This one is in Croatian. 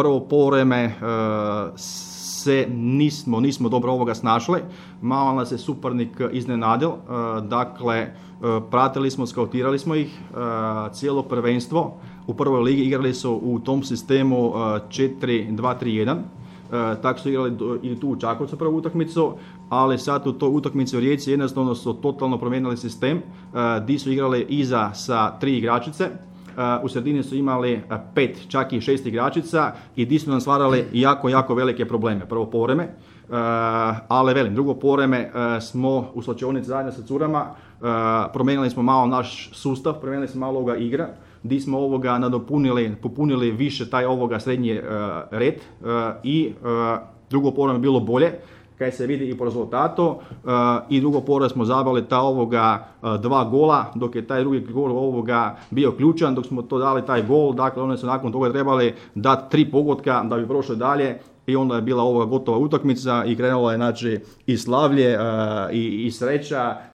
prvo poluvreme se nismo dobro ovoga snašli, malo nas je suparnik iznenadio, dakle pratili smo, skautirali smo ih, cijelo prvenstvo u prvoj ligi igrali su u tom sistemu 4-2-3-1, tako su igrali i tu u Čakovcu prvu utakmicu, ali sad u toj utakmici u Rijeci jednostavno su totalno promijenili sistem, di su igrali iza sa 3 igračice, u sredini su imali 5, čak i 6 igračica i di su nam stvarali jako velike probleme, prvo poluvreme. Ali velim, drugo poluvreme smo u slačionici zajedno sa curama, promijenili smo malo naš sustav, promijenili smo malo ovoga igra, di smo ovoga popunili više taj ovoga srednji red i drugo poluvreme je bilo bolje, kaj se vidi i po rezultatu, i drugo poluvreme smo zabili ta ovoga 2 gola, dok je taj drugi gol ovoga bio ključan, dok smo to dali taj gol, dakle oni su nakon toga trebali dati 3 pogotka da bi prošli dalje i onda je bila ovoga gotova utakmica i krenulo je znači i slavlje i sreća